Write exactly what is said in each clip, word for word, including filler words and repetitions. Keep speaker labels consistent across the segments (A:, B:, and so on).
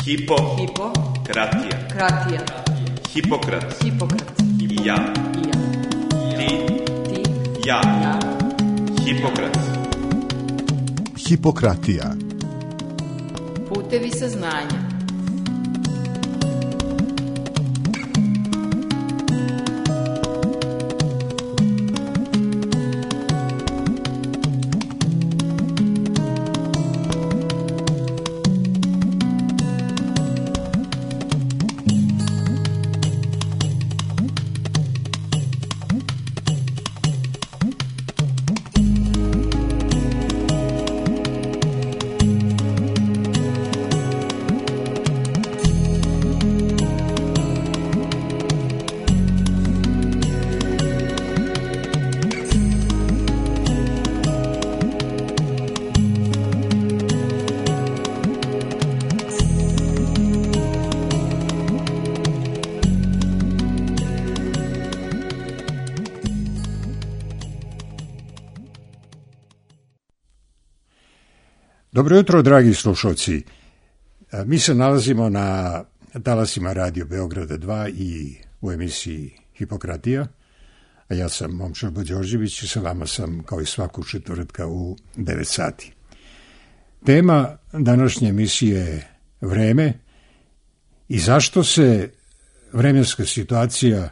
A: Hipo.
B: Hipo.
A: Kratija.
B: Kratija.
A: Hipokrat.
B: Hipokrat.
A: I ja.
B: I ja.
A: Ti.
B: Ti.
A: Ja.
B: Ja.
A: Hipokrat.
C: Hipokratija.
B: Putevi saznanja.
D: Dobro jutro, dragi slušalci. Mi se nalazimo na talasima Radio Beograda dva i u emisiji Hipokratija. A ja sam Momčilo Đorđević i sa vama sam kao i svaku četvrtka u devet sati. Tema današnje emisije je vreme i zašto se vremenska situacija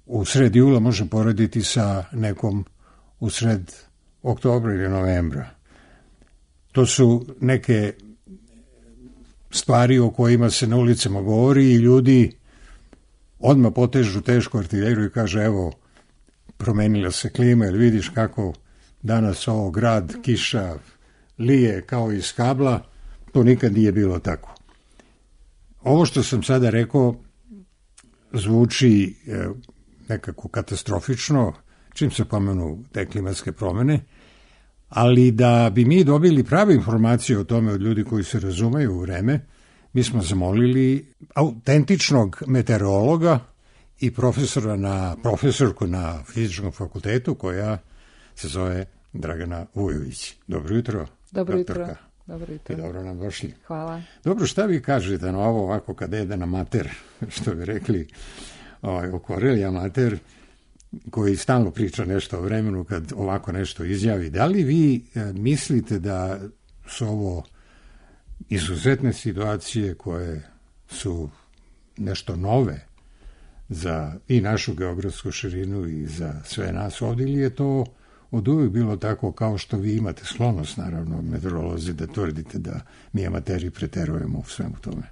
D: u sred jula može porediti sa nekom u sred oktobra ili novembra. To su neke stvari o kojima se na ulicama govori i ljudi odmah potežu tešku artiljeriju i kaže evo, promenila se klima, jer vidiš kako danas ovo grad, kiša, lije kao iz kabla, to nikad nije bilo tako. Ovo što sam sada rekao zvuči nekako katastrofično, čim se pomenu te klimatske promene, ali da bi mi dobili prave informacije o tome od ljudi koji se razumeju u vreme, mi smo zamolili autentičnog meteorologa i profesora na, profesorku na fizičkom fakultetu koja se zove Dragana Vujović. Dobro jutro,
E: Dobro
D: doktorka.
E: jutro. Dobro jutro.
D: I dobro nam došli.
E: Hvala.
D: Dobro, šta vi kažete na ovo ovako kada jede na mater, što bi rekli ovaj, oko Relija mater, koji stalno priča nešto o vremenu kad ovako nešto izjavi. Da li vi e, mislite da su ovo izuzetne situacije koje su nešto nove za i našu geografsku širinu i za sve nas ovdje, ili je to od uvijek bilo tako kao što vi imate sklonost, naravno, meteorolozi, da tvrdite da mi amateri preterujemo u svemu tome?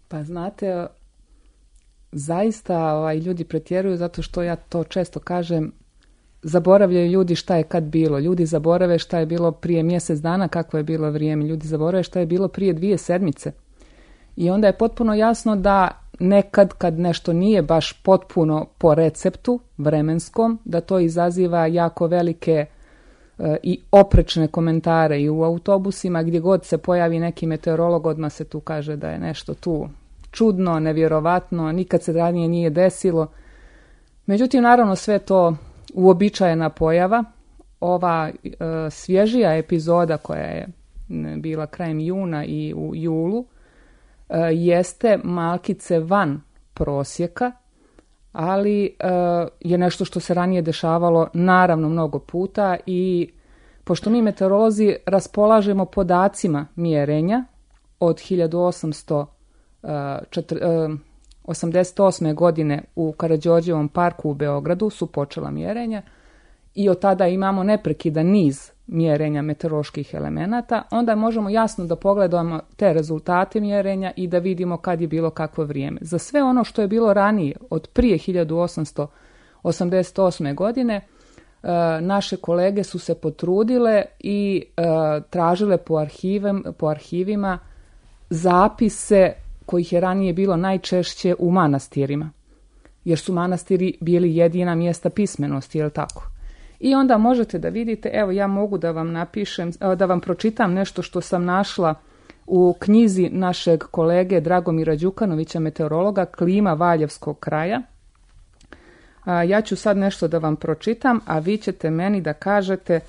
E: Pa znate, zaista ovaj, ljudi pretjeruju zato što ja to često kažem, zaboravljaju ljudi šta je kad bilo. Ljudi zaborave šta je bilo prije mjesec dana, kako je bilo vrijeme. Ljudi zaborave šta je bilo prije dvije sedmice. I onda je potpuno jasno da nekad kad nešto nije baš potpuno po receptu vremenskom, da to izaziva jako velike e, i oprečne komentare i u autobusima, gdje god se pojavi neki meteorolog, odmah se tu kaže da je nešto tu čudno, nevjerovatno, nikad se ranije nije desilo. Međutim, naravno, sve to uobičajena pojava. Ova e, svježija epizoda koja je bila krajem juna i u julu e, jeste malkice van prosjeka, ali e, je nešto što se ranije dešavalo naravno mnogo puta i pošto mi meteorolozi raspolažemo podacima mjerenja od hiljadu osamsto osamdeset osme. godine u Karađorđevom parku u Beogradu su počela mjerenja i od tada imamo neprekidan niz mjerenja meteoroloških elemenata, onda možemo jasno da pogledamo te rezultate mjerenja i da vidimo kad je bilo kakvo vrijeme. Za sve ono što je bilo ranije, od prije hiljadu osamsto osamdeset osme. godine, naše kolege su se potrudile i tražile po, arhivem, po arhivima zapise kojih je ranije bilo najčešće u manastirima, jer su manastiri bili jedina mjesta pismenosti, jel tako? I onda možete da vidite, evo ja mogu da vam napišem, da vam pročitam nešto što sam našla u knjizi našeg kolege Dragomira Đukanovića, meteorologa, Klima Valjevskog kraja. Ja ću sad nešto da vam pročitam, a vi ćete meni da kažete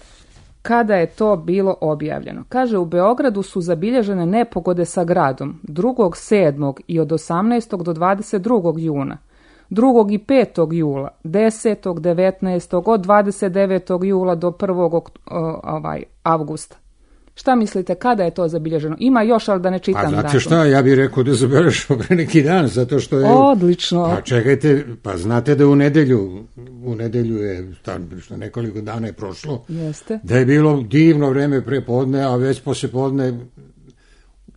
E: kada je to bilo objavljeno. Kaže, u Beogradu su zabilježene nepogode sa gradom drugog sedmog i od osamnaestog do dvadeset drugog juna, drugog i petog jula, desetog, devetnaestog, od dvadeset devetog jula do prvog ovaj, avgusta. Šta mislite, kada je to zabilježeno? Ima još, ali da ne čitam
D: datum.
E: datum.
D: Pa znate šta, ja bih rekao da zabeležimo pre neki dan, zato što je...
E: Odlično.
D: Pa čekajte, pa znate da u nedelju, u nedelju je, što nekoliko dana je prošlo,
E: Jeste.
D: Da je bilo divno vreme pre podne, a već posle podne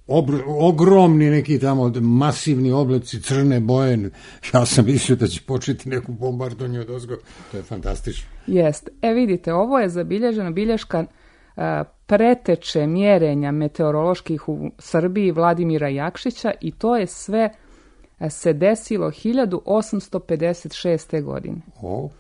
D: obr, ogromni neki tamo masivni oblaci, crne boje. Ja sam mislio da će početi neku bombardonju od ozgo. To je fantastično.
E: Jeste. E vidite, ovo je zabilježena bilješka a, preteče mjerenja meteoroloških u Srbiji Vladimira Jakšića i to je sve a, se desilo hiljadu osamsto pedeset šeste. godine.
D: O.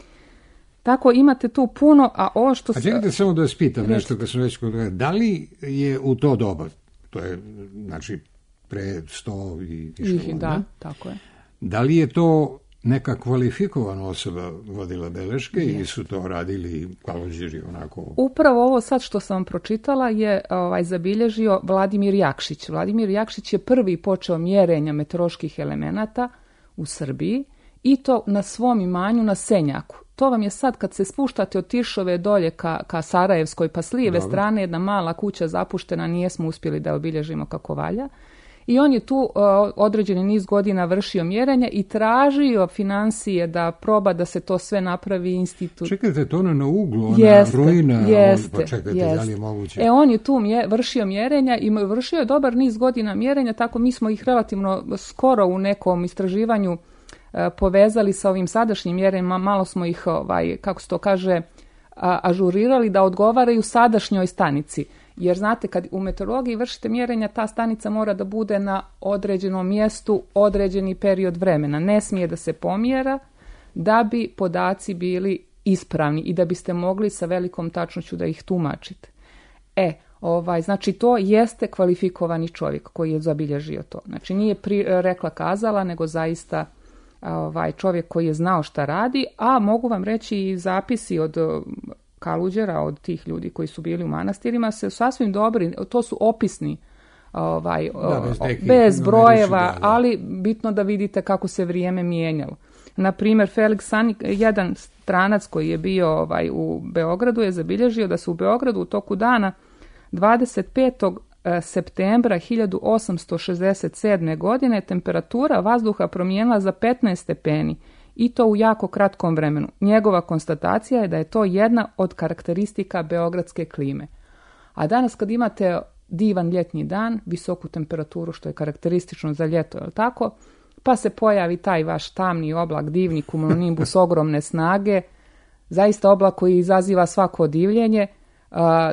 E: Tako imate tu puno, a ovo što...
D: A čekajte samo da vas pitam nešto kad sam već kod toga. Da li je u to doba, to je znači pre sto i više godina,
E: da, tako je.
D: Da li je to neka kvalifikovana osoba vodila beleške je. Ili su to radili kalođeri onako?
E: Upravo ovo sad što sam vam pročitala je ovaj, zabilježio Vladimir Jakšić. Vladimir Jakšić je prvi počeo mjerenja meteoroloških elemenata u Srbiji i to na svom imanju na Senjaku. To vam je sad kad se spuštate od Tiršove dolje ka, ka Sarajevskoj, pa s lijeve
D: Dobro.
E: strane jedna mala kuća zapuštena, nijesmo uspjeli da obilježimo kako valja. I on je tu uh, određeni niz godina vršio mjerenja i tražio financije da proba da se to sve napravi institut.
D: Čekajte, to ono na uglu, ona
E: jeste,
D: ruina,
E: jeste,
D: on, pa čekajte,
E: jeste.
D: da li je moguće?
E: E, on je tu mje, vršio mjerenja i vršio je dobar niz godina mjerenja, tako mi smo ih relativno skoro u nekom istraživanju uh, povezali sa ovim sadašnjim mjerenjima, malo smo ih, ovaj, kako se to kaže, a, ažurirali da odgovaraju sadašnjoj stanici. Jer znate, kad u meteorologiji vršite mjerenja, ta stanica mora da bude na određenom mjestu određeni period vremena. Ne smije da se pomjera da bi podaci bili ispravni i da biste mogli sa velikom tačnoću da ih tumačite. E, ovaj, znači to jeste kvalifikovani čovjek koji je zabilježio to. Znači nije pri, rekla kazala, nego zaista ovaj, čovjek koji je znao šta radi, a mogu vam reći i zapisi od Kaluđera, od tih ljudi koji su bili u manastirima, se sasvim dobri, to su opisni, ovaj,
D: da, bez, nekih,
E: bez brojeva,
D: da, da.
E: ali bitno da vidite kako se vrijeme mijenjalo. Na primjer, Felix Sanik, jedan stranac koji je bio ovaj, u Beogradu, je zabilježio da se u Beogradu u toku dana dvadeset petog septembra hiljadu osamsto šezdeset sedme. godine temperatura vazduha promijenila za petnaest stepeni. I to u jako kratkom vremenu. Njegova konstatacija je da je to jedna od karakteristika beogradske klime. A danas kad imate divan ljetni dan, visoku temperaturu što je karakteristično za ljeto, je li tako? Pa se pojavi taj vaš tamni oblak, divni cumulonimbus ogromne snage, zaista oblak koji izaziva svako divljenje,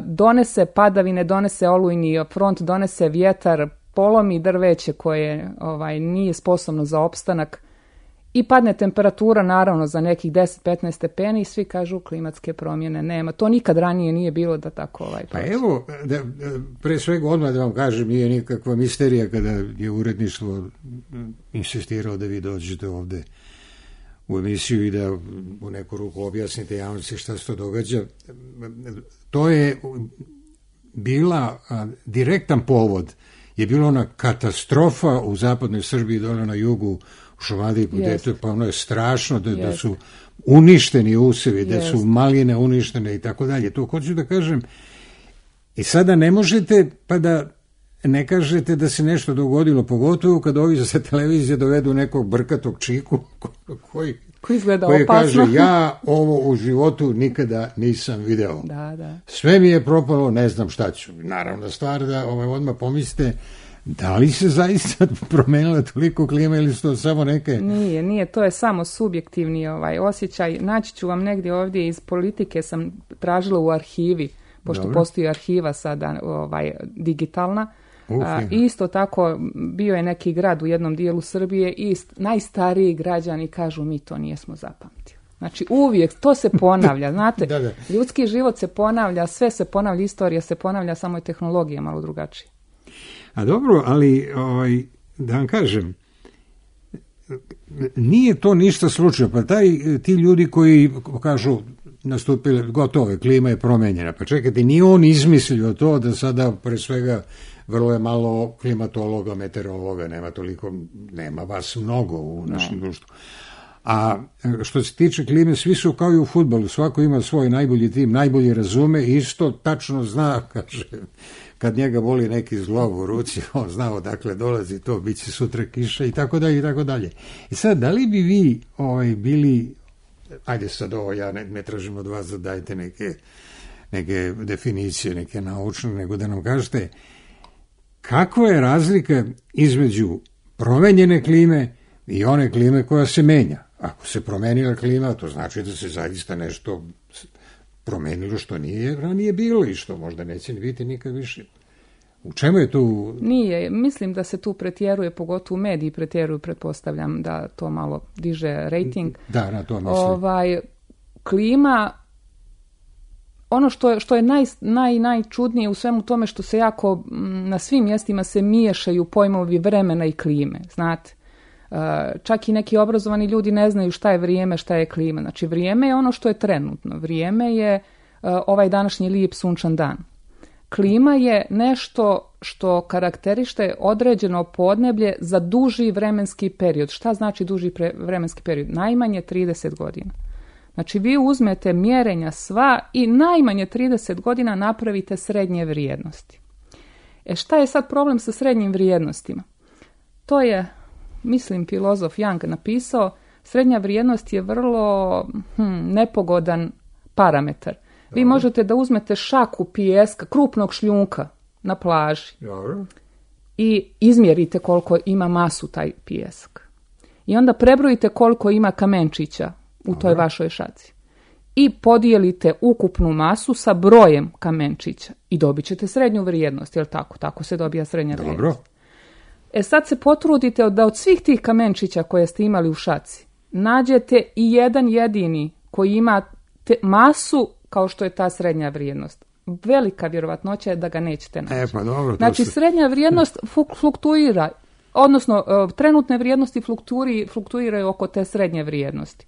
E: donese padavine, donese olujni front, donese vjetar, polomi drveće koje ovaj, nije sposobno za opstanak, i padne temperatura naravno za nekih deset do petnaest stepeni i svi kažu klimatske promjene nema. To nikad ranije nije bilo da tako ovaj
D: Pa
E: proći.
D: evo, da, pre svega odmah da vam kažem, nije nikakva misterija kada je uredništvo insistirao da vi dođete ovde u emisiju i da u neku ruku objasnite javnosti šta se to događa. To je bila a, direktan povod, je bila ona katastrofa u zapadnoj Srbiji, dole na jugu, u Šumadiji, yes. Pa ono je strašno da, yes. da su uništeni usevi, da yes. su maline uništene i tako dalje. To hoću da kažem. I sada ne možete pa da ne kažete da se nešto dogodilo, pogotovo kad ovi sa televizije dovedu nekog brkatog čiku koji,
E: koji izgleda
D: koji
E: opasno.
D: Kaže ja ovo u životu nikada nisam video.
E: Da, da.
D: Sve mi je propalo, ne znam šta ću. Naravno stvar da ovaj, odmah pomislite da li se zaista promenila toliko klima ili su to samo neke...
E: Nije, nije, to je samo subjektivni ovaj osjećaj. Naći ću vam negdje ovdje iz politike, sam tražila u arhivi, pošto Dobro. Postoji arhiva sada ovaj, digitalna.
D: Uh,
E: A, isto tako bio je neki grad u jednom dijelu Srbije i najstariji građani kažu mi to nijesmo zapamtili. Znači uvijek to se ponavlja, znate,
D: da, da.
E: Ljudski život se ponavlja, sve se ponavlja, istorija se ponavlja, samo je tehnologija malo drugačija.
D: A dobro, ali ovaj, da vam kažem, nije to ništa slučajno. Pa taj, ti ljudi koji kažu nastupile, gotovo je, klima je promenjena. Pa čekajte, nije on izmislio to da sada, pre svega, vrlo je malo klimatologa, meteorologa, nema toliko, nema vas mnogo u našem no. društvu. A što se tiče klime, svi su kao i u fudbalu, svako ima svoj najbolji tim, najbolje razume i isto tačno zna, kaže, kad njega voli neki zglob u ruci, on zna odakle dolazi to, bit će sutra kiša i tako dalje i tako dalje. I sad, da li bi vi ovaj, bili, ajde sad ovo, ja ne, ne tražim od vas da dajte neke, neke definicije, neke naučne, nego da nam kažete kakva je razlika između promenjene klime i one klime koja se menja. Ako se promenila klima, to znači da se zaista nešto promenilo što nije ranije bilo i što možda neće ni biti nikad više. U čemu je tu?
E: Nije, mislim da se tu pretjeruje, pogotovo u mediji pretjeruju, pretpostavljam da to malo diže rating.
D: Da, na to mislim.
E: Ovaj, klima, ono što je, što je naj, naj, najčudnije u svemu tome što se jako, na svim mjestima se miješaju pojmovi vremena i klime, znate. Čak i neki obrazovani ljudi ne znaju šta je vrijeme, šta je klima. Znači, vrijeme je ono što je trenutno. Vrijeme je ovaj današnji lijep sunčan dan. Klima je nešto što karakteriše određeno podneblje za duži vremenski period. Šta znači duži pre, vremenski period? Najmanje trideset godina. Znači, vi uzmete mjerenja sva i najmanje trideset godina napravite srednje vrijednosti. E šta je sad problem sa srednjim vrijednostima? To je, mislim, filozof Young napisao, srednja vrijednost je vrlo hm, nepogodan parametar. Vi Dobro. možete da uzmete šaku pijeska, krupnog šljunka na plaži Dobro. i izmjerite koliko ima masu taj pijesak. I onda prebrojite koliko ima kamenčića u Dobro. toj vašoj šaci. I podijelite ukupnu masu sa brojem kamenčića i dobit ćete srednju vrijednost, jel tako? Tako se dobija srednja
D: Dobro.
E: vrijednost. E sad se potrudite da od svih tih kamenčića koje ste imali u šaci nađete i jedan jedini koji ima te masu kao što je ta srednja vrijednost. Velika vjerovatnoća je da ga nećete naći.
D: E, pa dobro,
E: znači,
D: se...
E: srednja vrijednost fluktuira, odnosno trenutne vrijednosti fluktuiraju oko te srednje vrijednosti.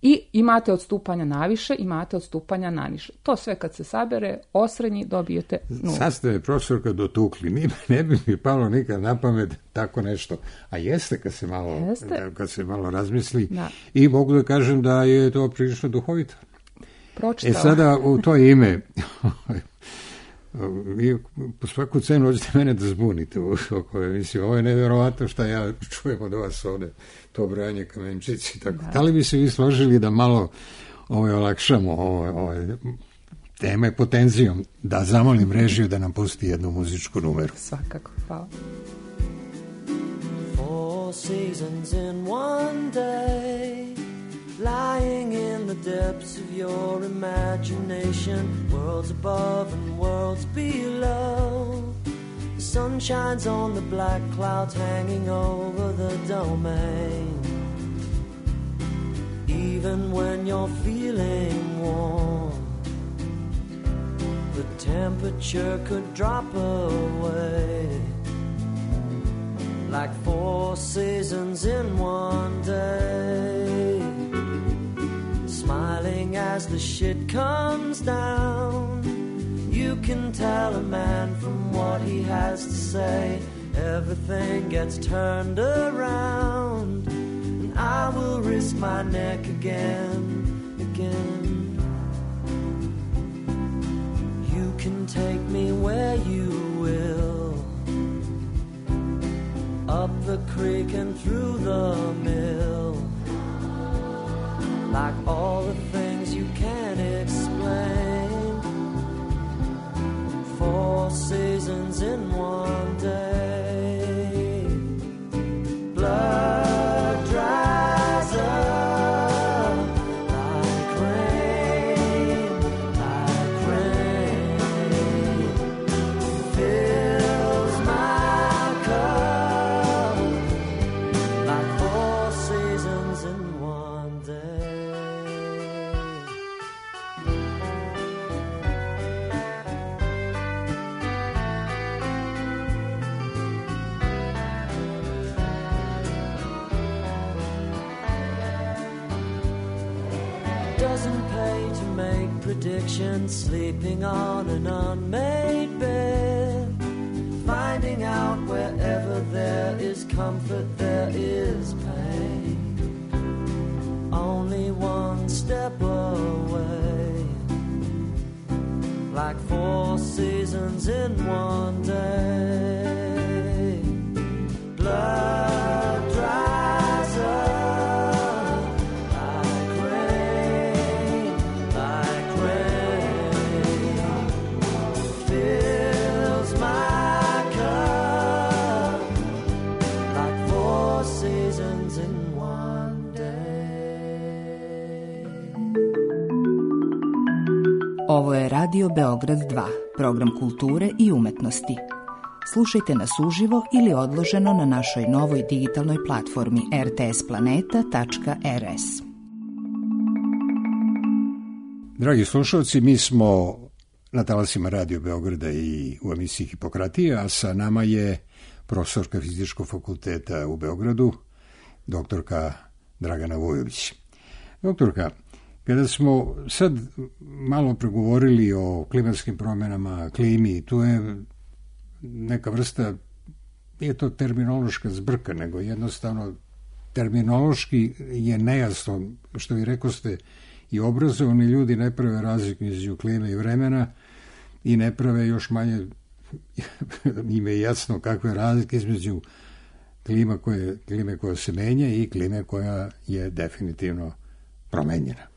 E: I imate odstupanja naviše, imate odstupanja naniže. To sve kad se sabere, osrednji dobijete nulu.
D: Sad ste me, profesorka, dotukli. Ni, ne bi mi palo nikad na pamet tako nešto. A jeste kad se malo, jeste. Kad se malo razmisli. Da. I mogu da kažem da je to prilično duhovito.
E: Pročitala.
D: E sada u to ime, vi po svaku cenu hoćete mene da zbunite oko emisije. Ovo je nevjerovatno šta ja čujem od vas ovde, to brojanje kamenčici. Tako. Da. da li bi se vi složili da malo ovaj, olakšamo ove, ove teme pod tenzijom, da zamolim režiju da nam pusti jednu muzičku numeru?
E: Svakako, hvala.
C: Four seasons in one day, lying in the depths of your imagination, worlds above and worlds below. The sun shines on the black clouds hanging over the domain. Even when you're feeling warm, the temperature could drop away. Like four seasons in one day. Smiling as the shit comes down, you can tell a man from what he has to say. Everything gets turned around, and I will risk my neck again, again. You can take me where you will, up the creek and through the mill. Like all the things you can't explain. Four seasons in one day. Blood dries up like rain, like rain. Fills my cup like four seasons in one day. make predictions, sleeping on an unmade bed, finding out wherever there is comfort, there is pain. Only one step away, like four seasons in one day. Blood dries up like rain, like rain, fills my cup like four seasons in one day.
F: Ovo je Radio Beograd dva, program kulture i umetnosti. Slušajte nas uživo ili odloženo na našoj novoj digitalnoj platformi er te es planeta tačka er es.
D: Dragi slušalci, mi smo na talasima Radio Beograda i u emisiji Hipokratija, a sa nama je profesorka Fizičkog fakulteta u Beogradu, doktorka Dragana Vujović. Doktorka, kada smo sad malo pregovorili o klimatskim promjenama, klimi, tu je neka vrsta, nije to terminološka zbrka, nego jednostavno terminološki je nejasno, što vi rekoste, i obrazovani ljudi ne prave razliku između klime i vremena i ne prave još manje, im je jasno kakve razlike između klima koje, klime koja se menja i klime koja je definitivno promenjena.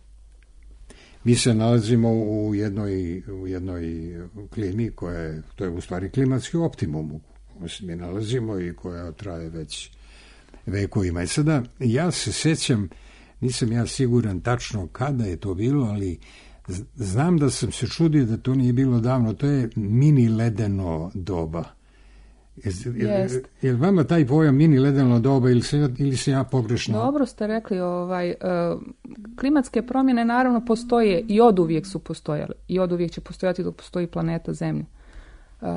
D: Mi se nalazimo u jednoj, u jednoj klimi koja je, to je u stvari klimatski optimum u kojem se mi nalazimo i koja traje već vekovima. I sada ja se sjećam, nisam ja siguran tačno kada je to bilo, ali znam da sam se čudio da to nije bilo davno, to je mini ledeno doba. Je, je li vama taj pojam mini ledeno doba ili se, ili se ja pogrešno?
E: Dobro ste rekli, ovaj, uh, klimatske promjene naravno postoje i oduvijek su postojale i oduvijek će postojati dok postoji planeta Zemlja. Uh,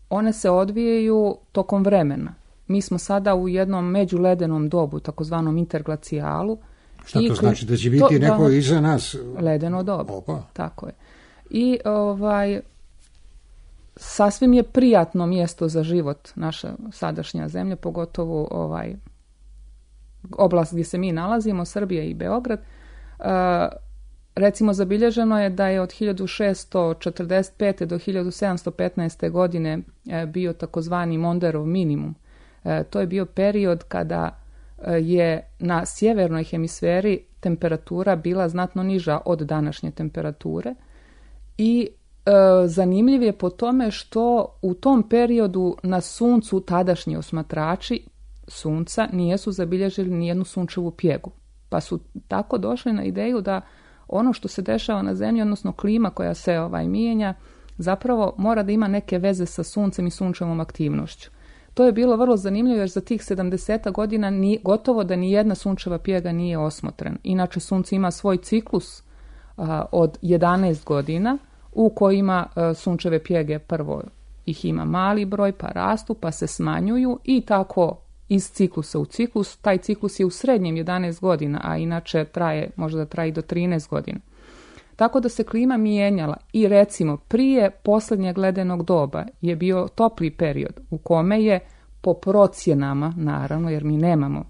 E: one se odvijaju tokom vremena. Mi smo sada u jednom međuledenom dobu, takozvanom interglacijalu.
D: Šta to znači? Da će biti to, neko da, iza nas?
E: Ledeno doba.
D: Opa.
E: Tako je. I ovaj... sasvim je prijatno mjesto za život naša sadašnja zemlja, pogotovo ovaj oblast gdje se mi nalazimo, Srbija i Beograd. Uh, recimo zabilježeno je da je od hiljadu šessto četrdeset pete do hiljadu sedamsto petnaeste godine uh, bio takozvani Monderov minimum. Uh, to je bio period kada uh, je na sjevernoj hemisferi temperatura bila znatno niža od današnje temperature i E, zanimljiv je po tome što u tom periodu na suncu tadašnji osmatrači sunca nijesu zabilježili nijednu sunčevu pjegu. Pa su tako došli na ideju da ono što se dešava na zemlji, odnosno klima koja se ovaj mijenja, zapravo mora da ima neke veze sa suncem i sunčevom aktivnošću. To je bilo vrlo zanimljivo jer za tih sedamdeset godina ni, gotovo da nijedna sunčeva pjega nije osmotrena. Inače sunce ima svoj ciklus a, od jedanaest godina, u kojima uh, sunčeve pjege prvo ih ima mali broj, pa rastu, pa se smanjuju i tako iz ciklusa u ciklus. Taj ciklus je u srednjem jedanaest godina, a inače traje, možda traje do trinaest godina. Tako da se klima mijenjala i recimo prije posljednjeg ledenog doba je bio topli period u kome je po procjenama, naravno jer mi nemamo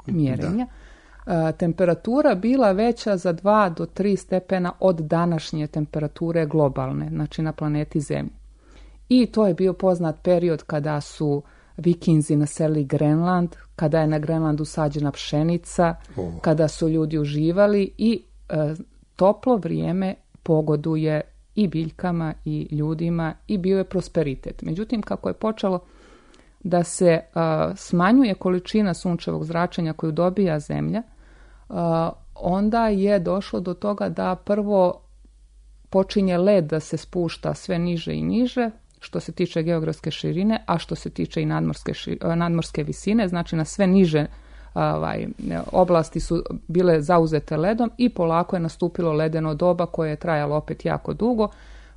E: mjerenja, da. temperatura bila veća za dva do tri stepena od današnje temperature globalne, znači na planeti Zemlji. I to je bio poznat period kada su Vikinzi naselili Grenland, kada je na Grenlandu sađena pšenica, oh. kada su ljudi uživali i e, toplo vrijeme pogoduje i biljkama i ljudima i bio je prosperitet. Međutim, kako je počelo da se a, smanjuje količina sunčevog zračenja koju dobija Zemlja, a, onda je došlo do toga da prvo počinje led da se spušta sve niže i niže, što se tiče geografske širine, a što se tiče i nadmorske, ši, nadmorske visine, znači na sve niže ovaj, oblasti su bile zauzete ledom i polako je nastupilo ledeno doba koje je trajalo opet jako dugo,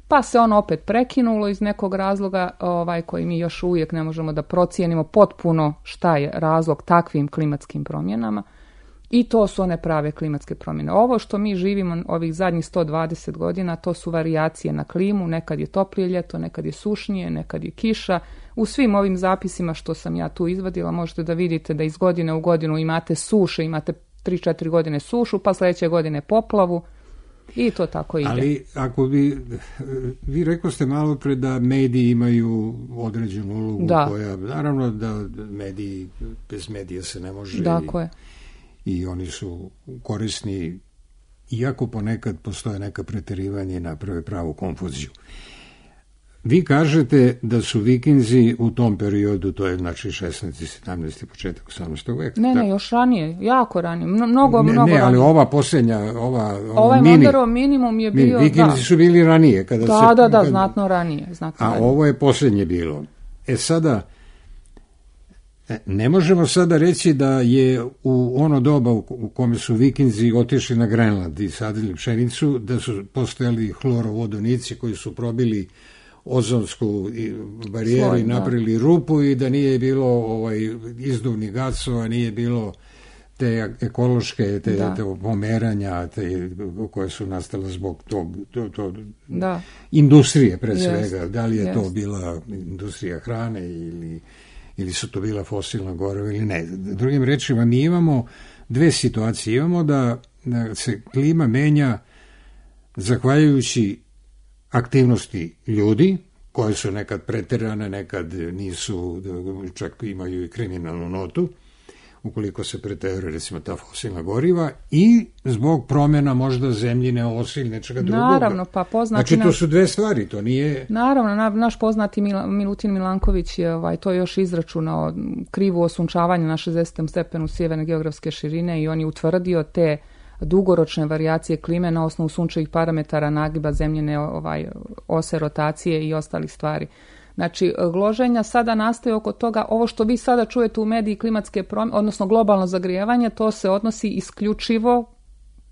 E: pa se ono opet prekinulo iz nekog razloga ovaj, koji mi još uvijek ne možemo da procijenimo potpuno šta je razlog takvim klimatskim promjenama. I to su one prave klimatske promjene. Ovo što mi živimo ovih zadnjih sto dvadeset godina, to su varijacije na klimu, nekad je toplije ljeto, nekad je sušnije, nekad je kiša. U svim ovim zapisima što sam ja tu izvadila možete da vidite da iz godine u godinu imate suše, imate tri četiri godine sušu, pa sljedeće godine poplavu i to tako ide.
D: Ali ako bi, vi rekli ste malo pre da mediji imaju određenu ulogu
E: da.
D: koja, naravno da mediji, bez medija se ne može.
E: Tako
D: i,
E: je.
D: I oni su korisni, iako ponekad postoje neka preterivanja i naprave pravu konfuziju. Vi kažete da su Vikinzi u tom periodu, to je znači šesnaesti, sedamnaesti početak osamnaestog veka.
E: Ne, ne, još ranije, jako ranije, mnogo,
D: ne,
E: mnogo
D: ne, ali
E: ranije.
D: ova posljednja, ova, ova
E: ovaj
D: mini,
E: Monderov minimum je bio,
D: Vikinzi
E: da.
D: su bili ranije. Kada
E: Da,
D: se,
E: da, da,
D: kad,
E: znatno ranije. Znatno
D: a
E: ranije.
D: ovo je posljednje bilo. E sada, ne možemo sada reći da je u ono doba u kome su Vikinzi otišli na Grenland i sadili pšenicu, da su postojali hlorovodonici koji su probili ozonsku barijeru
E: Sloj,
D: i napravili rupu i da nije bilo ovaj, izduvnih gasova, nije bilo te ekološke, te, te pomeranja te, koje su nastale zbog tog, to, to,
E: da.
D: industrije pre
E: Jest,
D: svega. Da li je
E: jest.
D: to bila industrija hrane ili, ili su to bila fosilna goriva ili ne. Drugim rečima, mi imamo dve situacije. Imamo da, da se klima menja zahvaljujući aktivnosti ljudi, koje su nekad preterane, nekad nisu, čak imaju i kriminalnu notu, ukoliko se preteruje, recimo, ta fosilna goriva, i zbog promjena možda zemljine, ose ili nečega drugog.
E: Naravno, pa poznati...
D: Znači, to
E: naš...
D: su dve stvari, to nije...
E: Naravno, na, naš poznati Mil, Milutin Milanković je ovaj, to još izračunao, krivu osunčavanje na šezdesetom stepenu sjeverne geografske širine i on je utvrdio te dugoročne varijacije klime na osnovu sunčevih parametara, nagiba zemljine ovaj, ose, rotacije i ostalih stvari. Znači, gloženja sada nastaje oko toga, ovo što vi sada čujete u mediji klimatske promjene, odnosno globalno zagrijevanje, to se odnosi isključivo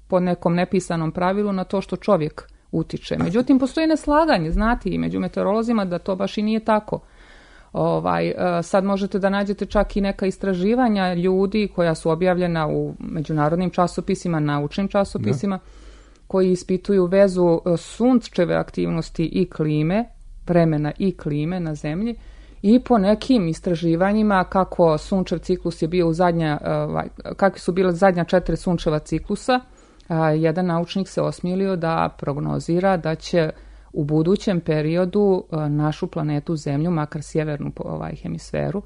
E: po nekom nepisanom pravilu na to što čovjek utiče. Međutim, postoji neslaganje, znate, i među meteorolozima da to baš i nije tako. Ovaj, sad možete da nađete čak i neka istraživanja ljudi koja su objavljena u međunarodnim časopisima, naučnim časopisima, da. Koji ispituju vezu sunčeve aktivnosti i klime, vremena i klime na zemlji, i po nekim istraživanjima kako sunčev ciklus je bio u zadnja, kakvi su bile zadnja četiri sunčeva ciklusa, jedan naučnik se osmijelio da prognozira da će u budućem periodu našu planetu Zemlju, makar sjevernu ovaj hemisferu,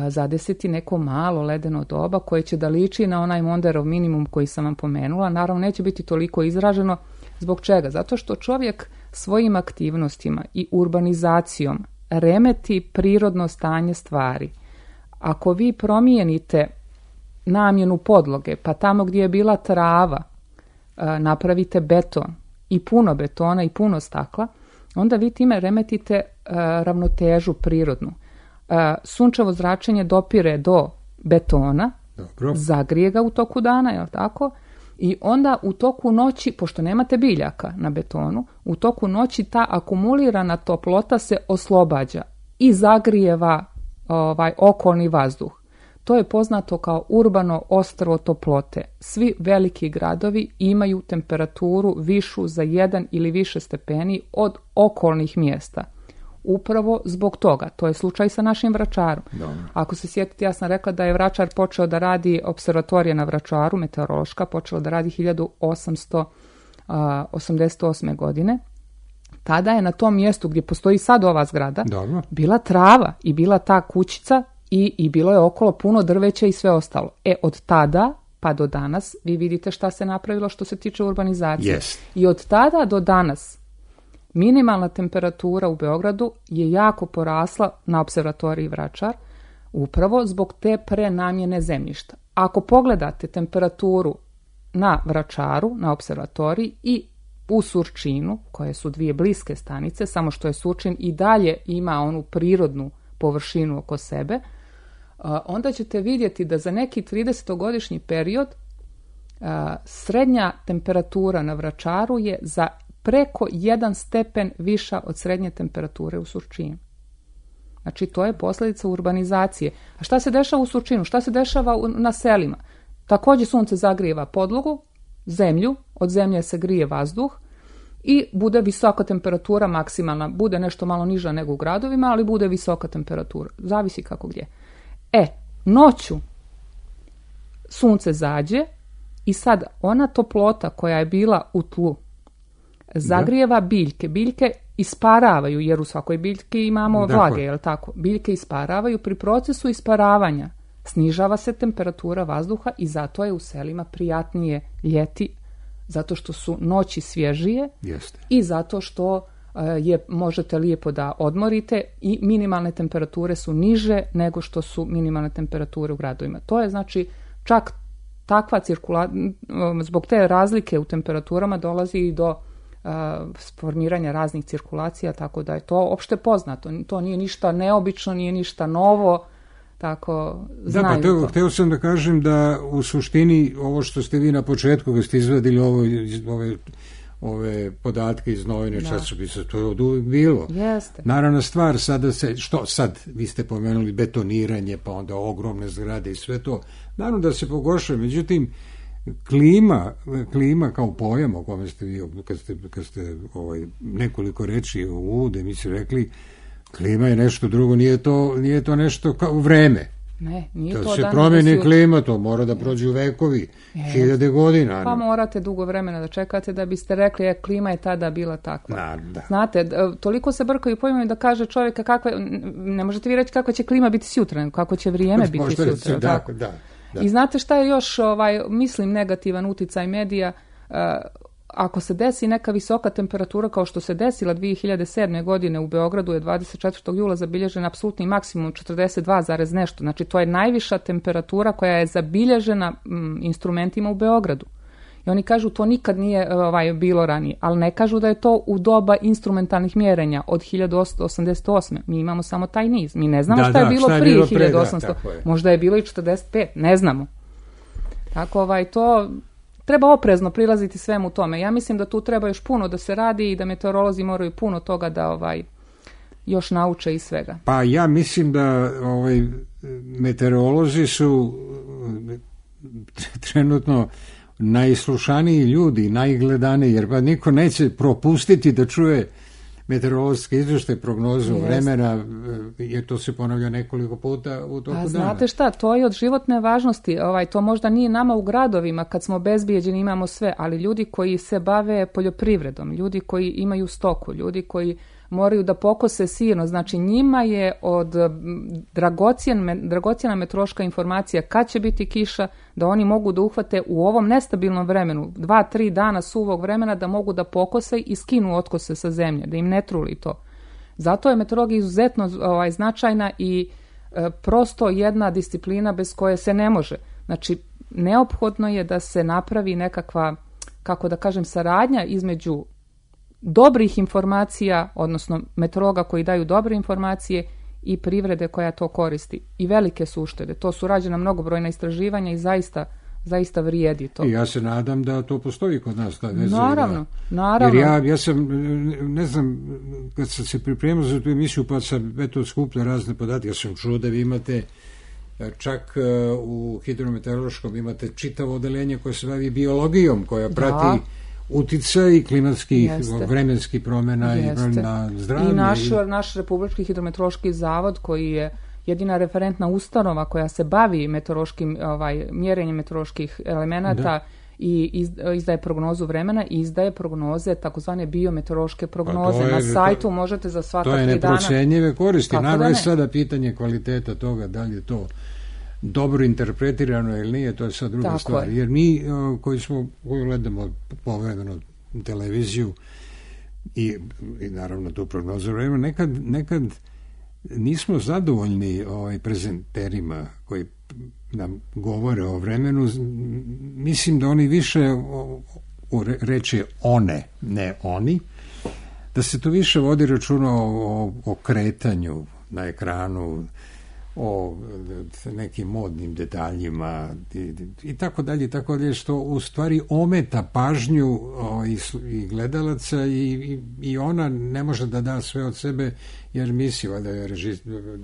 E: zadesiti neko malo ledeno doba koje će da liči na onaj Monderov minimum koji sam vam pomenula. Naravno, neće biti toliko izraženo. Zbog čega? Zato što čovjek svojim aktivnostima i urbanizacijom remeti prirodno stanje stvari. Ako vi promijenite namjenu podloge, pa tamo gdje je bila trava napravite beton, i puno betona i puno stakla, onda vi time remetite uh, ravnotežu prirodnu. Uh, sunčevo zračenje dopire do betona, dobro, zagrije ga u toku dana, je li tako? I onda u toku noći, pošto nemate biljaka na betonu, u toku noći ta akumulirana toplota se oslobađa i zagrijeva ovaj, okolni vazduh. To je poznato kao urbano ostrvo toplote. Svi veliki gradovi imaju temperaturu višu za jedan ili više stepeni od okolnih mjesta. Upravo zbog toga. To je slučaj sa našim Vračarom. Dobro. Ako se sjetite, ja sam rekla da je Vračar počeo da radi, observatorija na Vračaru, meteorološka, počela da radi hiljadu osamsto osamdeset osme. godine. Tada je na tom mjestu gdje postoji sad ova zgrada, dobro, bila trava i bila ta kućica i, i bilo je okolo puno drveća i sve ostalo. E, od tada pa do danas vi vidite šta se napravilo što se tiče urbanizacije.
D: Yes.
E: I od tada do danas minimalna temperatura u Beogradu je jako porasla na observatoriji Vračar, upravo zbog te prenamjene zemljišta. Ako pogledate temperaturu na Vračaru, na observatoriji i u Surčinu, koje su dvije bliske stanice, samo što je Surčin i dalje ima onu prirodnu površinu oko sebe, onda ćete vidjeti da za neki tridesetogodišnji period srednja temperatura na Vračaru je za preko jedan stepen viša od srednje temperature u Surčinu. Znači, to je posljedica urbanizacije. A šta se dešava u Surčinu? Šta se dešava na selima? Također sunce zagrijeva podlogu, zemlju, od zemlje se grije vazduh i bude visoka temperatura maksimalna. Bude nešto malo niža nego u gradovima, ali bude visoka temperatura. Zavisi kako gdje. E, noću sunce zađe i sad ona toplota koja je bila u tlu zagrijeva biljke. Biljke isparavaju, jer u svakoj biljki imamo
D: dakle.
E: vlage, je li tako? Biljke isparavaju. Pri procesu isparavanja snižava se temperatura vazduha i zato je u selima prijatnije ljeti, zato što su noći svježije.
D: Jeste.
E: I zato što je možete lijepo da odmorite i minimalne temperature su niže nego što su minimalne temperature u gradovima. To je znači čak takva cirkulacija, zbog te razlike u temperaturama dolazi i do uh, formiranja raznih cirkulacija, tako da je to opšte poznato. To nije ništa neobično, nije ništa novo, tako znaju
D: da, pa teo,
E: to.
D: Hteo sam da kažem da u suštini ovo što ste vi na početku, kad ste izvadili ovo, ove, ove podatke iz novine časopisa, to je od uvijek bilo.
E: Jeste.
D: Naravna stvar, sada se, što sad, vi ste pomenuli betoniranje, pa onda ogromne zgrade i sve to, naravno da se pogoršuje, međutim, klima, klima kao pojam o kome ste vi, kad ste, kad ste ovaj, nekoliko reči u uvodu emisiji rekli, klima je nešto drugo, nije to, nije to nešto kao vreme.
E: Ne, nije
D: to
E: to
D: se
E: dan
D: promeni
E: da
D: klima, to mora da prođu vekovi,
E: Yes.
D: hiljade godina.
E: Pa morate dugo vremena da čekate da biste rekli, je, klima je tada bila takva.
D: Na, da.
E: Znate, toliko se brkaju pojmovi da kaže čovjeka kakva, ne možete vi reći kakva će klima biti sutra, kako će vrijeme biti
D: Možete
E: sutra.
D: reći,
E: tako?
D: da, da.
E: I znate šta je još, ovaj, mislim, negativan uticaj medija, uh, ako se desi neka visoka temperatura kao što se desila dvije hiljade sedme. godine u Beogradu je dvadeset četvrtog jula zabilježen apsolutni maksimum četrdeset dva zarez nešto. Znači to je najviša temperatura koja je zabilježena m, instrumentima u Beogradu. I oni kažu to nikad nije ovaj, bilo ranije, ali ne kažu da je to u doba instrumentalnih mjerenja od hiljadu osamsto osamdeset osme. Mi imamo samo taj niz. Mi ne znamo
D: da,
E: šta je
D: da,
E: bilo
D: šta je
E: prije
D: bilo pre,
E: hiljadu osamsto.
D: Da, je.
E: Možda je bilo i četrdeset pet, ne znamo. Tako ovaj, to treba oprezno prilaziti svemu tome. Ja mislim da tu treba još puno da se radi i da meteorolozi moraju puno toga da ovaj još nauče i svega.
D: Pa ja mislim da ovaj, meteorolozi su trenutno najslušaniji ljudi, najgledaniji, jer pa niko neće propustiti da čuje meteorološke izvještaje, prognozu
E: Jest.
D: vremena, jer to se ponavlja nekoliko puta u toku dana.
E: A znate šta, to je od životne važnosti. Ovaj, to možda nije nama u gradovima kad smo bezbijeđeni, imamo sve, ali ljudi koji se bave poljoprivredom, ljudi koji imaju stoku, ljudi koji moraju da pokose sirno, znači njima je od dragocjen, dragocjena meteorološka informacija kad će biti kiša, da oni mogu da uhvate u ovom nestabilnom vremenu, dva, tri dana suvog vremena, da mogu da pokose i skinu otkose sa zemlje, da im ne truli to. Zato je meteorologija izuzetno ovaj, značajna i e, prosto jedna disciplina bez koje se ne može. Znači, neophodno je da se napravi nekakva, kako da kažem, saradnja između dobrih informacija, odnosno meteorologa koji daju dobre informacije i privrede koja to koristi. I velike su uštede. To su rađena mnogobrojna istraživanja i zaista, zaista vrijedi to.
D: I ja se nadam da to postoji kod nas. Ne
E: naravno,
D: da,
E: naravno.
D: Jer ja, ja sam, ne znam, kad sam se pripremao za tu emisiju, pa sam eto skupljao razne podatke, ja sam čuo da vi imate čak u hidrometeorološkom imate čitavo odeljenje koje se bavi biologijom, koja prati da. uticaj klimatskih, Jeste. vremenskih promjena Jeste. i na zdravlje.
E: I naš, i... naš Republički hidrometeorološki zavod koji je jedina referentna ustanova koja se bavi meteorološkim, ovaj, mjerenjem meteoroloških elemenata da. i iz, izdaje prognozu vremena i izdaje prognoze, takozvane biometeorološke prognoze. Je, na sajtu to, možete za svaka tri dana.
D: To je neprocenjive koristi. Naravno je sada pitanje kvaliteta toga, da li je to dobro interpretirano ili nije, to je sad druga
E: Tako
D: stvar.
E: Je.
D: Jer mi koji smo, koji gledamo povremeno televiziju i, i naravno tu prognozu vremena, nekad, nekad nismo zadovoljni ovaj, prezenterima koji nam govore o vremenu. Mislim da oni više o, o, reče one, ne oni, da se tu više vodi računa o, o, o kretanju na ekranu, o nekim modnim detaljima i, i tako dalje, i tako dalje, što u stvari ometa pažnju o, i, i gledalaca i, i, i ona ne može da da sve od sebe, jer misli da je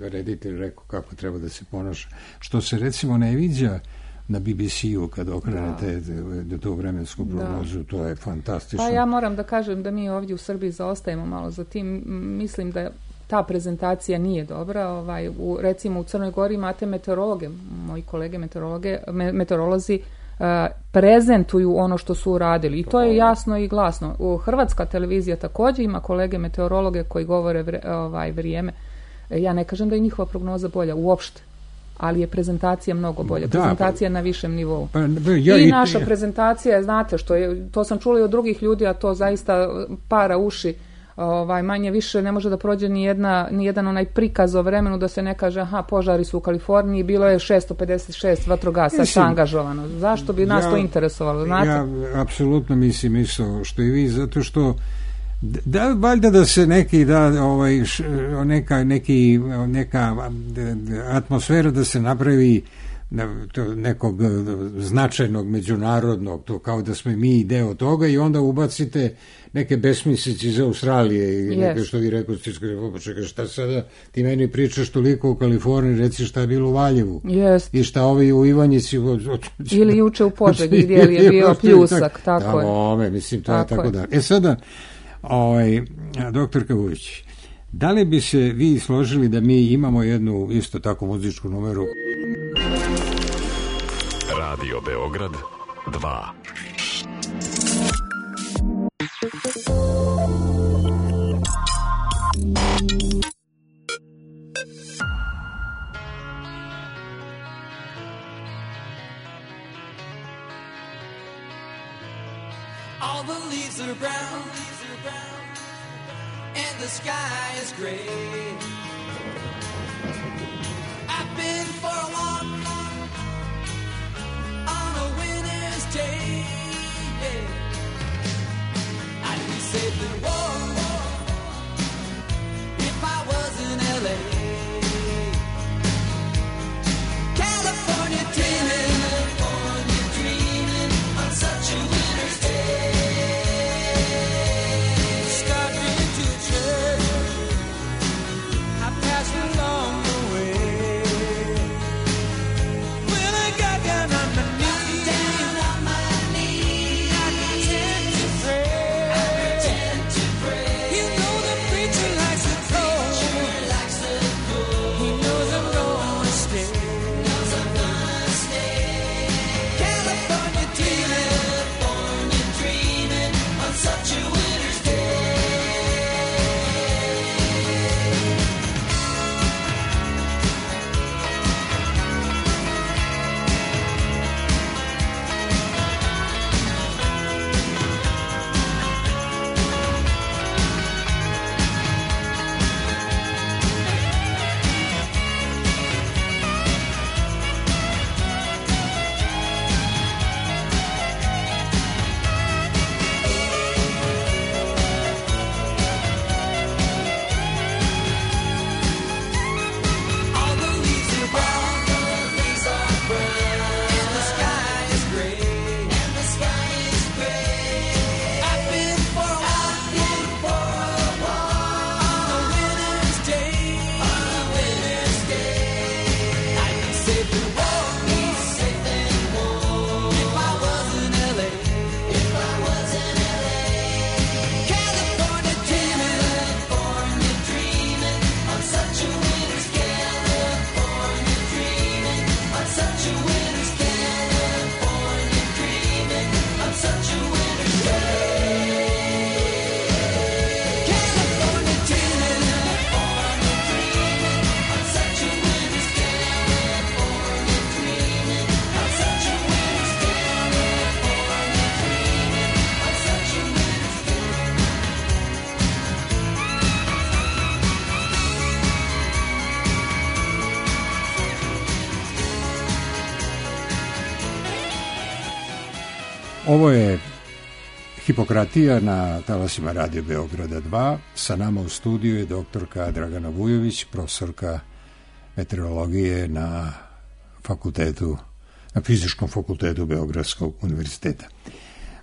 D: reditelj rekao kako treba da se ponaša. Što se recimo ne viđa na B B C-u kad okrenete da. tu vremensku prognozu, to je fantastično.
E: Pa ja moram da kažem da mi ovdje u Srbiji zaostajemo malo za tim. Mislim da ta prezentacija nije dobra. Ovaj, u, recimo u Crnoj Gori imate meteorologe, moji kolege meteorologe, me, meteorolozi uh, prezentuju ono što su uradili i to je jasno i glasno. U Hrvatska televizija također ima kolege meteorologe koji govore vre, ovaj, vrijeme. Ja ne kažem da je njihova prognoza bolja uopšte, ali je prezentacija mnogo bolja. Da, prezentacija pa, na višem nivou. Pa, ja, I naša i, prezentacija, znate što je, to sam čula i od drugih ljudi, a to zaista para uši. Ovaj, manje više ne može da prođe ni, jedna, ni jedan onaj prikaz o vremenu da se ne kaže aha, požari su u Kaliforniji, bilo je šesto pedeset šest vatrogasaca angažovano. Zašto bi nas ja, to interesovalo? Znate?
D: Ja apsolutno mislim isto što i vi, zato što da, valjda da se neki da ovaj š, neka neki neka atmosfera da se napravi nekog značajnog međunarodnog, to kao da smo mi deo toga i onda ubacite neke besmislice iz Australije i yes. neke što vi rekao, čekaj, šta sada ti meni pričaš toliko u Kaliforniji, reci šta je bilo u Valjevu
E: yes.
D: i šta ovi u Ivanjici
E: ili juče u Požegi gdje je bio pljusak, tako je.
D: Ome, mislim, to tako je tako da. E sada, ovaj, doktorka Vujić, da li bi se vi složili da mi imamo jednu isto tako muzičku numeru?
G: Radio Beograd dva.
C: All the leaves are brown, and the sky is gray. I've been for a walk on a winter's day. I'd be safe and warm if I was in L A. California dreaming, California dreaming on such a winter's day. Starting to church, I passed along the way. When I got down on my knees, down on my knees, I pretend to pray. I pretend to pray. You know the preacher likes the cold. Preacher likes the cold. He knows I'm gonna stay. Knows I'm gonna stay. California dreaming, California dreaming on such a winter's day. All the leaves are brown, the leaves are brown, and the sky is gray, and the sky is gray. I've been for a walk, been for a walk on a winter's day, on a winter's day. I'd be safe and warm, be safe and warm if I was in L A, if I was in L A. California dreaming, California dreaming on such a winter's day. California dreaming on such a winter's day. California dreaming on such a winter's day. California dreaming, California dreaming on such a winter's day. California dreaming on such a winter's day. California dreaming on such a winter's day.
D: Ovo je Hipokratija na talasima Radio Beograda dva. Sa nama u studiju je doktorka Dragana Vujović, profesorka meteorologije na fakultetu, na Fizičkom fakultetu Beogradskog univerziteta.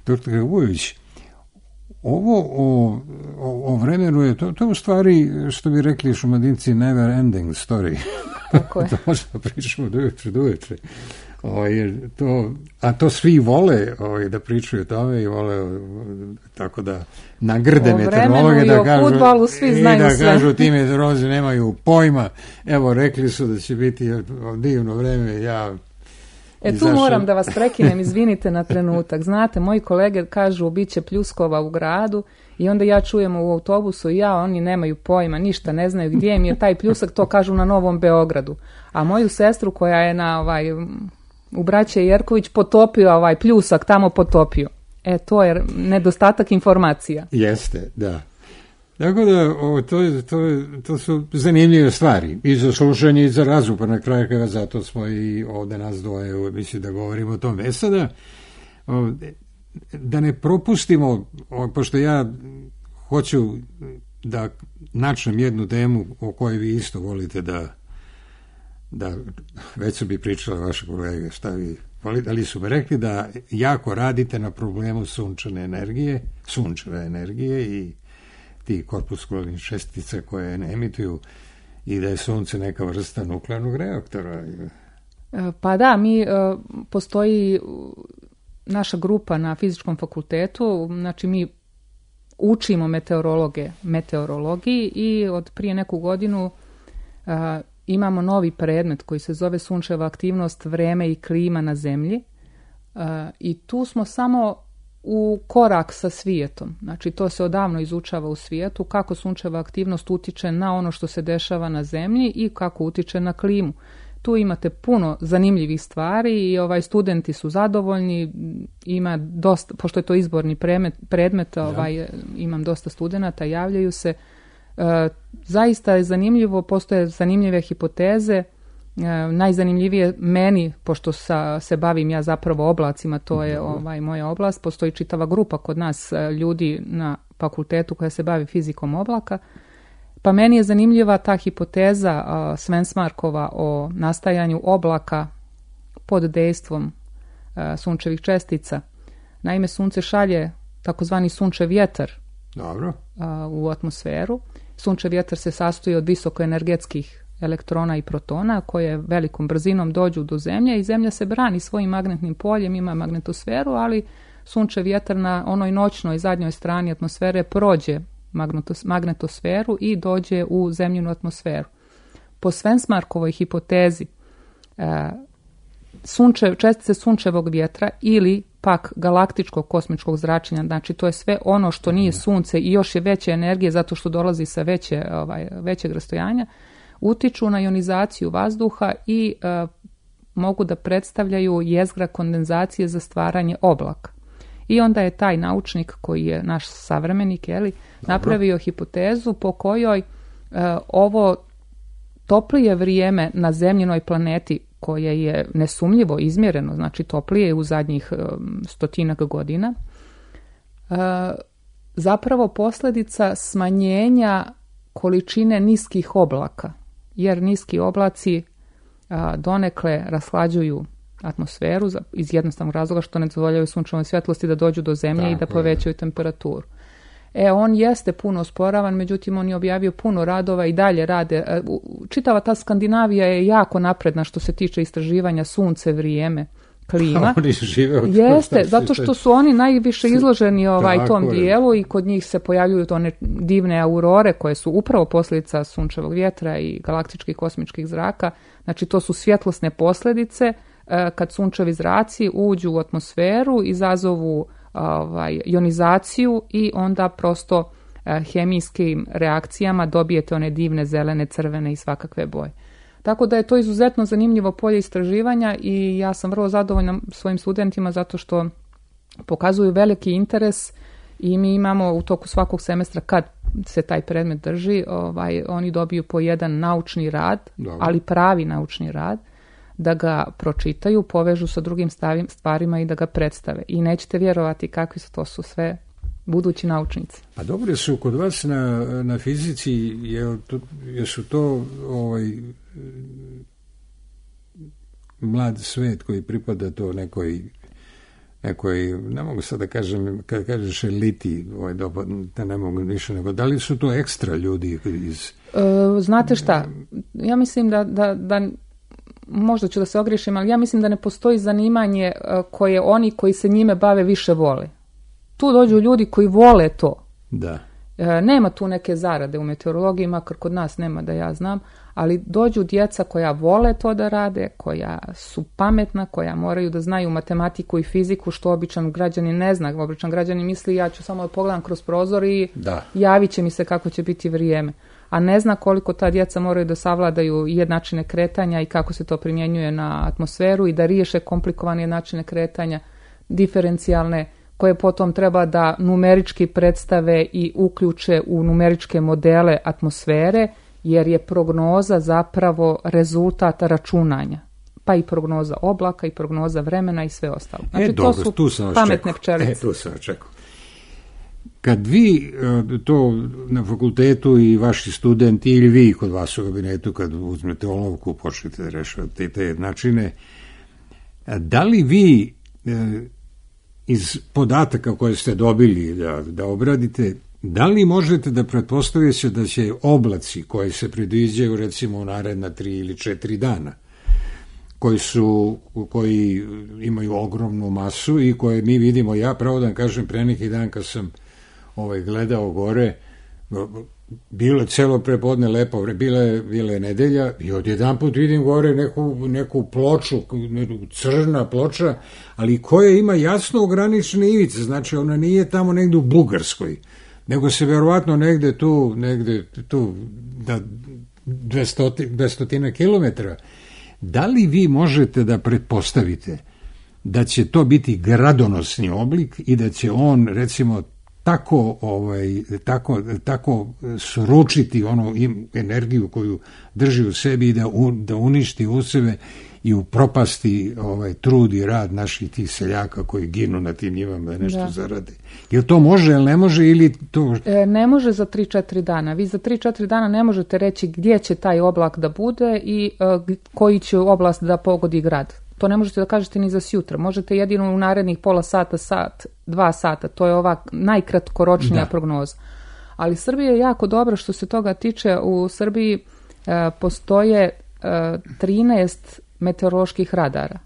D: Doktorka Vujović, ovo o, o, o vremenu je, to, to u stvari, što bi rekli Šumadinci, never ending story.
E: Tako je.
D: To možemo pričamo do uveče, do uveče. Ovaj, to, a to svi vole ovaj, da pričaju o tome i vole tako da nagrde meteorologe da kažu,
E: fudbalu svi znaju
D: da
E: sve.
D: kažu ti meteorolozi nemaju pojma, evo rekli su da će biti divno vreme, ja
E: E tu
D: izašao...
E: moram da vas prekinem, izvinite na trenutak. Znate, moji kolege kažu bit će pljuskova u gradu i onda ja čujem u autobusu i ja, oni nemaju pojma, ništa ne znaju gdje im je taj pljusak, to kažu na Novom Beogradu. A moju sestru koja je na ovaj, u Braće Jerković potopio ovaj pljusak, tamo potopio. E, to je nedostatak informacija.
D: Jeste, da. Tako da, o, to, to, to su zanimljive stvari i za slušanje i za razum, pa na kraju krajeva zato smo i ovde nas dvoje, mislim da govorimo o tom. E sada, o, da ne propustimo, o, pošto ja hoću da načnem jednu temu o kojoj vi isto volite da, da već su bi pričali vaše kolege, šta vi volite, ali su mi rekli da jako radite na problemu sunčane energije, sunčeve energije i ti korpuskularnih čestica koje ne emituju i da je sunce neka vrsta nuklearnog reaktora.
E: Pa da, mi postoji naša grupa na fizičkom fakultetu, znači mi učimo meteorologe meteorologiji i od prije neku godinu a, imamo novi predmet koji se zove sunčeva aktivnost, vreme i klima na zemlji a, i tu smo samo u korak sa svijetom. Znači to se odavno izučava u svijetu, kako sunčeva aktivnost utiče na ono što se dešava na zemlji i kako utiče na klimu. Tu imate puno zanimljivih stvari i ovaj studenti su zadovoljni, ima dosta, pošto je to izborni predmet, predmet ovaj, ja. Imam dosta studenata, javljaju se. E, zaista je zanimljivo, postoje zanimljive hipoteze. E, najzanimljivije meni, pošto sa, se bavim ja zapravo oblacima, to je ovaj, moja oblast, postoji čitava grupa kod nas ljudi na fakultetu koja se bavi fizikom oblaka, pa meni je zanimljiva ta hipoteza uh, Svensmarkova o nastajanju oblaka pod dejstvom uh, sunčevih čestica. Naime, sunce šalje takozvani sunčev vjetar
D: Dobro.
E: Uh, u atmosferu. Sunčev vjetar se sastoji od visokoenergetskih elektrona i protona koje velikom brzinom dođu do zemlje i zemlja se brani svojim magnetnim poljem, ima magnetosferu, ali sunčev vjetar na onoj noćnoj zadnjoj strani atmosfere prođe magnetosferu i dođe u zemljinu atmosferu. Po Svensmarkovoj hipotezi sunče, čestice sunčevog vjetra ili pak galaktičkog kosmičkog zračenja, znači to je sve ono što nije sunce i još je veće energije zato što dolazi sa veće, ovaj, većeg rastojanja, utiču na ionizaciju vazduha i uh, mogu da predstavljaju jezgra kondenzacije za stvaranje oblaka. I onda je taj naučnik koji je naš savremenik, je li, napravio hipotezu po kojoj uh, ovo toplije vrijeme na zemljinoj planeti koje je nesumljivo izmjereno, znači toplije u zadnjih um, stotinak godina, uh, zapravo posljedica smanjenja količine niskih oblaka, jer niski oblaci a, donekle rashlađuju atmosferu za, iz jednostavnog razloga što ne dozvoljavaju sunčevoj svjetlosti da dođu do zemlje Tako i da povećaju je. temperaturu. E, on jeste puno osporavan, međutim on je objavio puno radova i dalje rade. Čitava ta Skandinavija je jako napredna što se tiče istraživanja sunce, vrijeme, klima.
D: Oni žive od
E: Jeste, zato što su oni najviše izloženi ovaj tom dijelu i kod njih se pojavljuju one divne aurore koje su upravo posljedica sunčevog vjetra i galaktičkih kosmičkih zraka. Znači to su svjetlosne posljedice kad sunčevi zraci uđu u atmosferu, izazovu ovaj, ionizaciju i onda prosto hemijskim reakcijama dobijete one divne zelene, crvene i svakakve boje. Tako da je to izuzetno zanimljivo polje istraživanja i ja sam vrlo zadovoljna svojim studentima zato što pokazuju veliki interes i mi imamo u toku svakog semestra kad se taj predmet drži, ovaj, oni dobiju po jedan naučni rad, Dobre. ali pravi naučni rad, da ga pročitaju, povežu sa drugim stvarima i da ga predstave. I nećete vjerovati kakvi su to su sve budući naučnici.
D: A dobro su kod vas na, na fizici, je to, jesu to ovaj, mlad svet koji pripada to nekoj, nekoj, ne mogu sad da kažem, kad kažeš eliti, ovaj, da ne mogu više nego, da li su to ekstra ljudi iz...
E: E, znate šta, ja mislim da, da, da možda ću da se ogriješim, ali ja mislim da ne postoji zanimanje koje oni koji se njime bave više vole. Tu dođu ljudi koji vole to.
D: Da.
E: Nema tu neke zarade u meteorologiji, makar kod nas nema da ja znam, ali dođu djeca koja vole to da rade, koja su pametna, koja moraju da znaju matematiku i fiziku, što običan građanin ne zna. Običan građanin misli ja ću samo da pogledam kroz prozor i
D: da.
E: javit će mi se kako će biti vrijeme. A ne zna koliko ta djeca moraju da savladaju jednačine kretanja i kako se to primjenjuje na atmosferu i da riješe komplikovane jednačine kretanja, diferencijalne, koje potom treba da numerički predstave i uključe u numeričke modele atmosfere, jer je prognoza zapravo rezultat računanja. Pa i prognoza oblaka i prognoza vremena i sve ostalo. Znači,
D: e, dobro,
E: to su
D: tu sam
E: pametne pčelice.
D: E, tu sam očekao. Kad vi to na fakultetu i vaši studenti ili vi kod vas u kabinetu kad uzmete olovku počnete da rešavate te načine, da li vi iz podataka koje ste dobili da, da obradite, da li možete da pretpostavite da će oblaci koji se predviđaju recimo u naredna tri ili četiri dana, koji su, koji imaju ogromnu masu i koje mi vidimo, ja pravo da vam kažem, pre neki dan kad sam ovaj, gledao gore, bilo je celo prepodne lepo, bila je, bila je nedelja i odjedan put vidim gore neku, neku ploču, crna ploča, ali koja ima jasno ograničene ivice, znači ona nije tamo negde u Bugarskoj, nego se verovatno negde tu, negde tu da dvesta kilometara. Da li vi možete da pretpostavite da će to biti gradonosni oblik i da će on, recimo, tako, ovaj, tako, tako sručiti onu energiju koju drži u sebi i da, un, da uništi u sebe i upropasti ovaj, trud i rad naših tih seljaka koji ginu na tim njivama da nešto da. zarade. Jel to može, ili ne može? Ili to...
E: E, ne može za tri četiri dana. Vi za tri četiri dana ne možete reći gdje će taj oblak da bude i e, koji će oblast da pogodi grad. To ne možete da kažete ni za sjutra. Možete jedino u narednih pola sata, sat, dva sata. To je ova najkratkoročnija da. prognoza. Ali Srbija je jako dobra što se toga tiče. U Srbiji e, postoje e, trinaest meteoroloških radara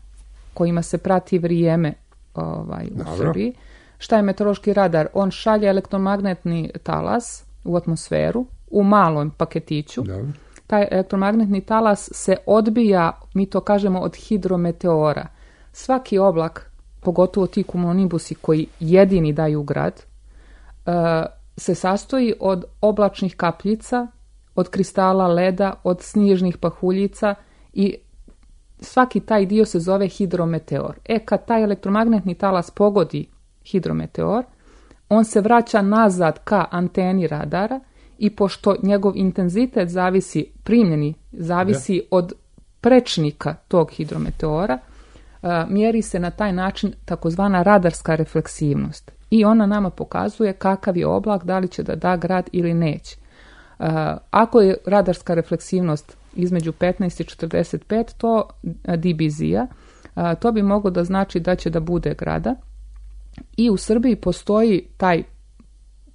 E: kojima se prati vrijeme ovaj, u Dobro. Srbiji. Šta je meteorološki radar? On šalje elektromagnetni talas u atmosferu u malom paketiću. Dobro. Taj elektromagnetni talas se odbija, mi to kažemo, od hidrometeora. Svaki oblak, pogotovo ti cumulonibusi koji jedini daju grad, se sastoji od oblačnih kapljica, od kristala leda, od snježnih pahuljica i svaki taj dio se zove hidrometeor. E, kad taj elektromagnetni talas pogodi hidrometeor, on se vraća nazad ka anteni radara i pošto njegov intenzitet zavisi, primljeni, zavisi ja. od prečnika tog hidrometeora, mjeri se na taj način takozvana radarska refleksivnost. I ona nama pokazuje kakav je oblak, da li će da da grad ili neće. Ako je radarska refleksivnost između petnaest i četrdeset pet, to dBz-a, to bi moglo da znači da će da bude grada. I u Srbiji postoji taj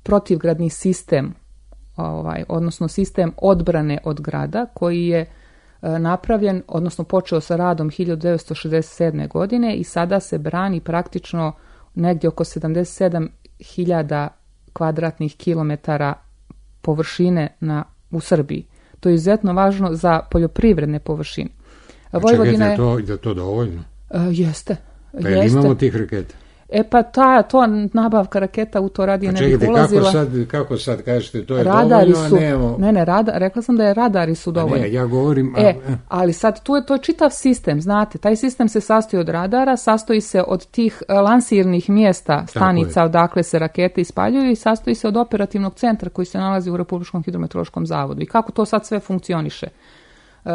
E: protivgradni sistem, ovaj, odnosno sistem odbrane od grada koji je napravljen, odnosno počeo sa radom hiljadu devetsto šezdeset sedme. godine i sada se brani praktično negdje oko sedamdeset sedam hiljada kvadratnih kilometara površine na, u Srbiji. To je izuzetno važno za poljoprivredne površine.
D: A Vojvodina je to, je to dovoljno?
E: Uh, jeste.
D: Pa jel imamo tih raketa?
E: E pa ta, to nabavka raketa u to radije ne bih ulazila.
D: Kako sad, kako sad kažete, to je
E: radari
D: dovoljno,
E: su,
D: a nemamo...
E: Ne, ne, rada, rekla sam da je radari su dovoljni.
D: Ne, ja govorim...
E: E, ali sad tu je to čitav sistem, znate, taj sistem se sastoji od radara, sastoji se od tih lansirnih mjesta, stanica odakle se rakete ispaljuju i sastoji se od operativnog centra koji se nalazi u Republičkom hidrometeorološkom zavodu. I kako to sad sve funkcioniše? Uh,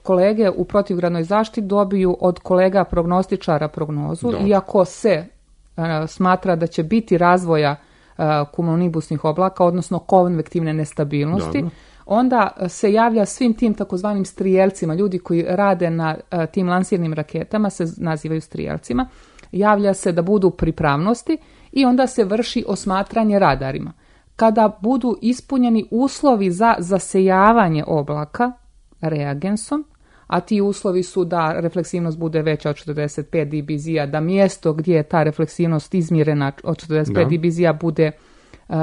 E: kolege u protivgradnoj zaštiti dobiju od kolega prognostičara prognozu. Dobre. Iako se uh, smatra da će biti razvoja uh, cumulonibusnih oblaka, odnosno konvektivne nestabilnosti, Dobre. onda se javlja svim tim takozvanim strijelcima, ljudi koji rade na uh, tim lansirnim raketama se nazivaju strijelcima, javlja se da budu pripravnosti i onda se vrši osmatranje radarima. Kada budu ispunjeni uslovi za zasejavanje oblaka reagensom, a ti uslovi su da refleksivnost bude veća od četrdeset pet dBz-a, da mjesto gdje je ta refleksivnost izmjerena od četrdeset pet dBz-a bude uh,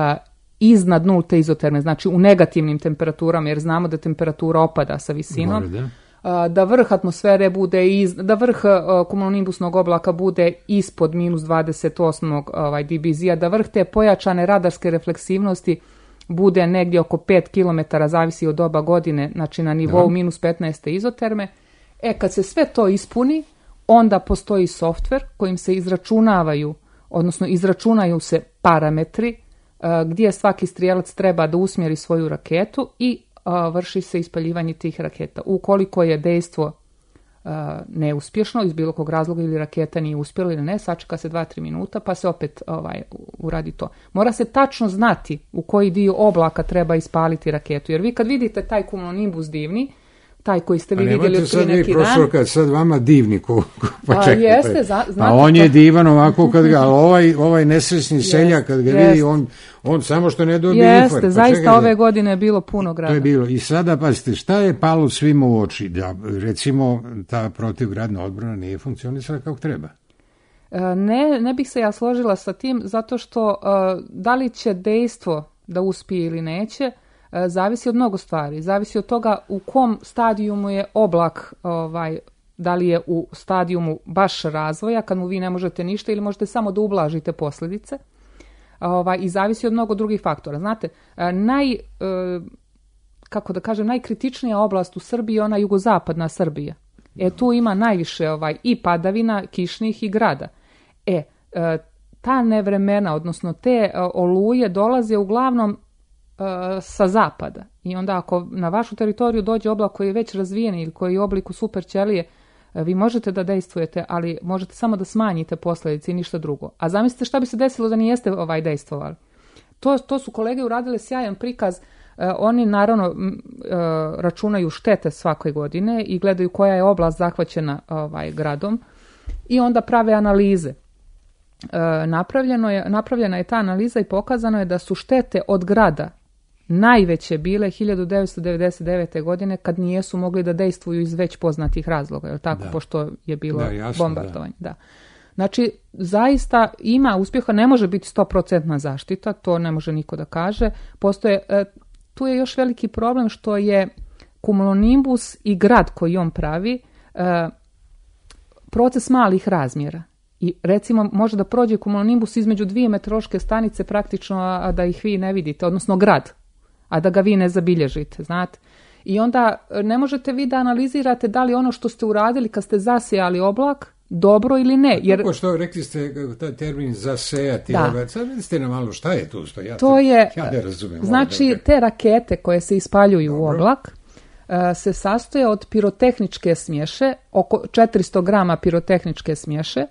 E: iznad nulte izoterme, znači u negativnim temperaturama, jer znamo da temperatura opada sa visinom. Gore, da. Da vrh atmosfere bude, iz, da vrh uh, kumulonimbusnog oblaka bude ispod minus dvadeset osam ovaj, dBz-a, da vrh te pojačane radarske refleksivnosti bude negdje oko pet kilometara, zavisi od doba godine, znači na nivou minus petnaest izoterme. E, kad se sve to ispuni, onda postoji softver kojim se izračunavaju, odnosno izračunaju se parametri uh, gdje svaki strijelac treba da usmjeri svoju raketu i vrši se ispaljivanje tih raketa. Ukoliko je dejstvo uh, neuspješno iz bilo kog razloga ili raketa nije uspjela ili ne, sačeka se dva do tri minuta pa se opet ovaj, uradi to. Mora se tačno znati u koji dio oblaka treba ispaliti raketu, jer vi kad vidite taj kumulonimbus divni, taj koji ste vi
D: a
E: vidjeli od prije neki dan.
D: Profesor, kad sad vama divni, ko, ko, pa
E: a,
D: čekaj,
E: jeste, za,
D: a on je divan ovako kad ga, ovaj, ovaj nesrećni seljak kad ga vidi, on, on samo što ne dobije infarkt.
E: Jeste, zaista čekaj, ove godine je bilo puno grada.
D: To je bilo. I sada, pazite, šta je palo svima u oči? Da, recimo, ta protivgradna odbrana nije funkcionisala kako treba.
E: Ne, ne bih se ja složila sa tim, zato što da li će dejstvo da uspije ili neće, zavisi od mnogo stvari. Zavisi od toga u kom stadijumu je oblak, ovaj, da li je u stadijumu baš razvoja, kad mu vi ne možete ništa ili možete samo da ublažite posljedice. Ovaj, I zavisi od mnogo drugih faktora. Znate, naj, kako da kažem, najkritičnija oblast u Srbiji je ona jugozapadna Srbija. E, tu ima najviše ovaj, i padavina, kišnih i grada. E, ta nevremena, odnosno te oluje dolaze uglavnom sa zapada. I onda ako na vašu teritoriju dođe oblak koji je već razvijen ili koji je u obliku super ćelije, vi možete da dejstvujete, ali možete samo da smanjite posljedice i ništa drugo. A zamislite šta bi se desilo da nijeste ovaj dejstvovali. To, to su kolege uradile sjajan prikaz. Uh, oni naravno uh, računaju štete svake godine i gledaju koja je oblast zahvaćena ovaj, gradom i onda prave analize. Uh, napravljeno je, napravljena je ta analiza i pokazano je da su štete od grada najveće bile hiljadu devetsto devedeset devete. godine kad nijesu mogli da dejstvuju iz već poznatih razloga, jel tako, da. Pošto je bilo da, jasno, bombardovanje. Da. Da. Znači, zaista ima uspjeha, ne može biti sto posto zaštita, to ne može niko da kaže. Postoje, tu je još veliki problem što je kumulonimbus i grad koji on pravi proces malih razmjera. I recimo može da prođe kumulonimbus između dvije meteorološke stanice praktično, a da ih vi ne vidite, odnosno grad, a da ga vi ne zabilježite, znate. I onda ne možete vi da analizirate da li ono što ste uradili kad ste zasejali oblak dobro ili ne. Jer... Kako
D: što rekli ste taj termin zasejati, da. Sad vidite nam malo šta je tu što ja,
E: to je,
D: ja ne razumijem.
E: Znači da... te rakete koje se ispaljuju dobro. U oblak uh, se sastoje od pirotehničke smješe, oko četiristo grama pirotehničke smješe,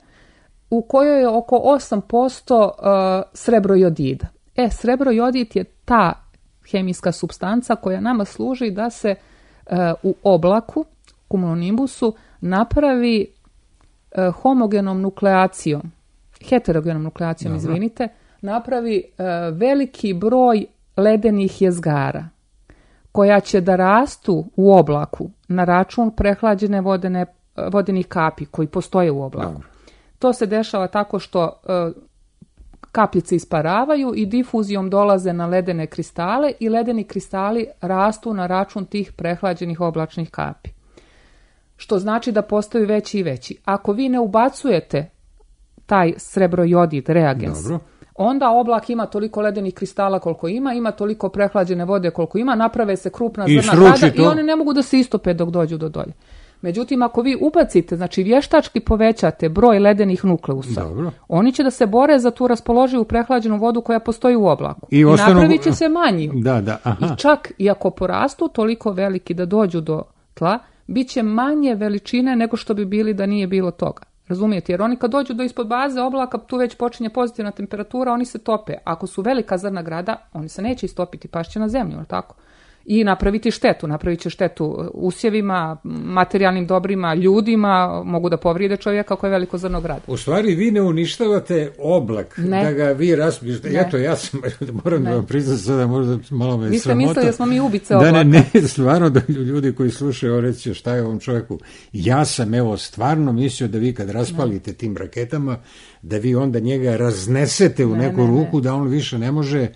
E: u kojoj je oko osam posto uh, srebrojodida. E, srebrojodid je ta hemijska supstanca koja nama služi da se uh, u oblaku, kumulonimbusu, napravi uh, homogenom nukleacijom, heterogenom nukleacijom, Dobro. izvinite, napravi uh, veliki broj ledenih jezgara koja će da rastu u oblaku na račun prehlađene vodene, vodenih kapi koji postoje u oblaku. Dobro. To se dešava tako što uh, kapljice isparavaju i difuzijom dolaze na ledene kristale i ledeni kristali rastu na račun tih prehlađenih oblačnih kapi. Što znači da postaju veći i veći. Ako vi ne ubacujete taj srebrojodid reagens, Dobro. onda oblak ima toliko ledenih kristala koliko ima, ima toliko prehlađene vode koliko ima, naprave se krupna
D: I
E: zrna grada i oni ne mogu da se istope dok dođu do dolje. Međutim, ako vi ubacite, znači vještački povećate broj ledenih nukleusa, Dobro. oni će da se bore za tu raspoloživu prehlađenu vodu koja postoji u oblaku. I, I ostanu... napravit će se manji.
D: Da, da, aha.
E: I čak i ako porastu toliko veliki da dođu do tla, bit će manje veličine nego što bi bili da nije bilo toga. Razumijete? Jer oni kad dođu do ispod baze oblaka, tu već počinje pozitivna temperatura, oni se tope. Ako su velika zrna grada, oni se neće istopiti, pašće na zemlju, tako? i napraviti štetu. Napravit će štetu usjevima, materijalnim dobrima, ljudima, mogu da povrijede čovjeka ako je veliko zrno grada.
D: U stvari vi ne uništavate oblak,
E: ne.
D: da ga vi raspijete. Eto, ja sam, moram ne. da vam priznam sada, možda malo me
E: vi ste
D: sramota.
E: mislili da smo mi ubice oblaka.
D: Da ne, ne, stvarno da ljudi koji slušaju reći šta je ovom čovjeku. Ja sam evo stvarno mislio da vi kad raspalite ne. tim raketama, da vi onda njega raznesete u ne, neku ne, ruku, ne. da on više ne može,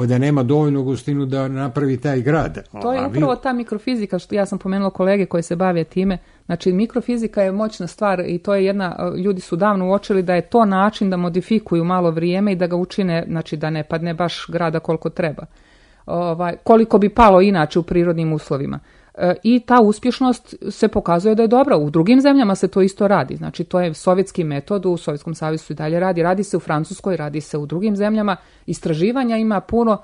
D: da nema dovoljnu gustinu da napravi taj grad.
E: To je upravo ta mikrofizika, što ja sam pomenula kolege koji se bave time. Znači, mikrofizika je moćna stvar i to je jedna, ljudi su davno uočili da je to način da modifikuju malo vrijeme i da ga učine, znači da ne padne baš grada koliko treba. Ovaj, koliko bi palo inače u prirodnim uslovima. I ta uspješnost se pokazuje da je dobra. U drugim zemljama se to isto radi. Znači, to je sovjetski metod, u Sovjetskom savezu i dalje radi. Radi se u Francuskoj, radi se u drugim zemljama. Istraživanja ima puno,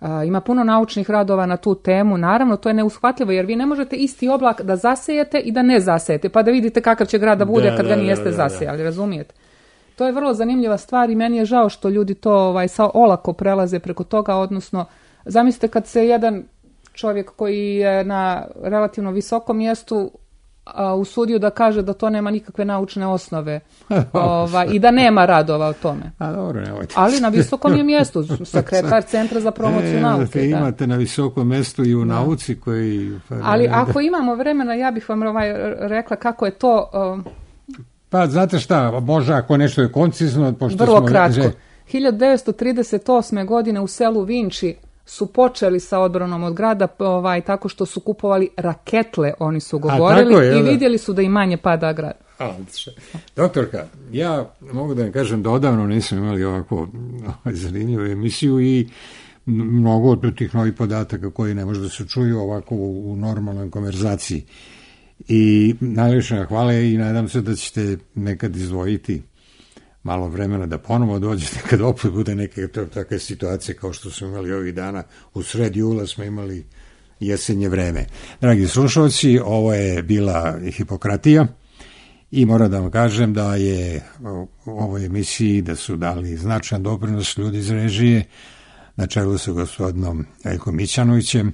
E: a, ima puno naučnih radova na tu temu. Naravno, to je neushvatljivo, jer vi ne možete isti oblak da zasejete i da ne zasejete, pa da vidite kakav će grad da bude da, kad ga da, nijeste da, da, zasejali, razumijete? To je vrlo zanimljiva stvar i meni je žao što ljudi to ovaj, sa olako prelaze preko toga, odnosno, zamislite kad se jedan čovjek koji je na relativno visokom mjestu a, usudio da kaže da to nema nikakve naučne osnove ova, i da nema radova o tome.
D: A, dobro, nemojte.
E: Ali na visokom je mjestu, sekretar Centra za promociju e, nauke.
D: Da. Imate na visokom mjestu i u da. nauci koji...
E: Ali ako imamo vremena, ja bih vam ovaj, rekla kako je to... Um,
D: pa znate šta, možda ako nešto je koncizno... Pošto
E: vrlo
D: smo,
E: kratko.
D: že...
E: hiljadu devetsto trideset osme. godine u selu Vinči su počeli sa odbranom od grada ovaj, tako što su kupovali raketle, oni su govorili, je, i vidjeli su da i manje pada grad.
D: A, doktorka, ja mogu da vam kažem da odavno nisam imali ovako zanimljivu emisiju i mnogo od tih novih podataka koji ne može da se čuju ovako u, u normalnoj konverzaciji. I najljepša hvala i nadam se da ćete nekad izdvojiti malo vremena da ponovo dođete kad opet bude neke takve situacije kao što smo imali ovih dana. U sred jula smo imali jesenje vreme. Dragi slušalci, ovo je bila Hipokratija i moram da vam kažem da je u ovoj emisiji da su dali značajan doprinos ljudi iz režije na čelu sa gospodinom Veljkom Mićanovićem,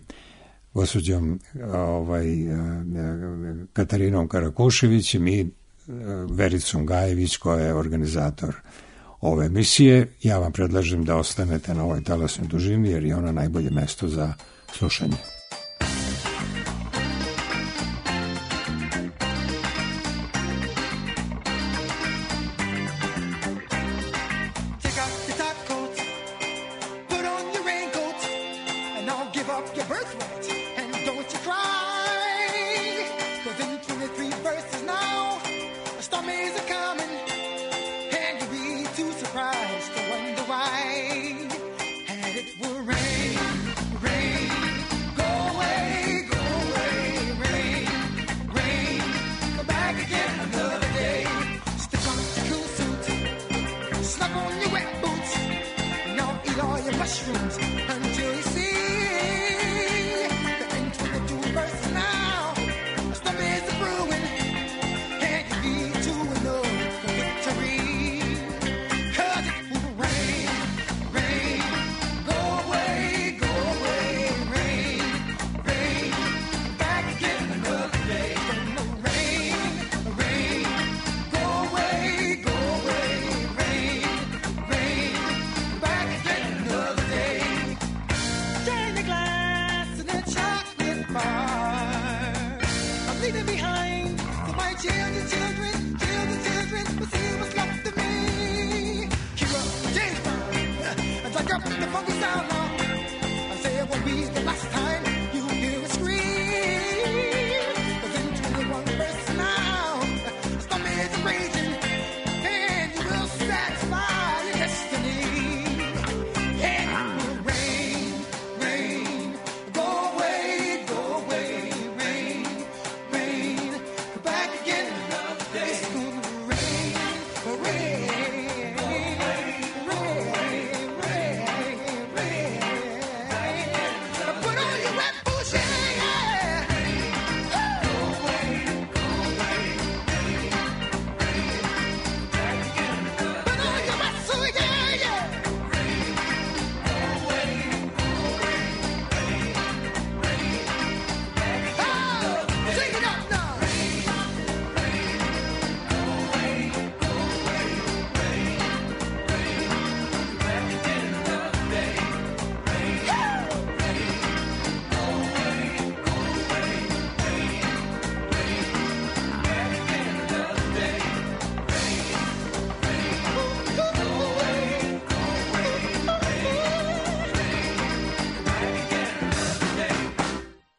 D: gospođom ovaj, Katarinom Karakuševićem i Vericom Gajević koja je organizator ove emisije. Ja vam predlažem da ostanete na ovoj talasnoj dužini jer je ona najbolje mesto za slušanje.
H: The funky sound now. I say what we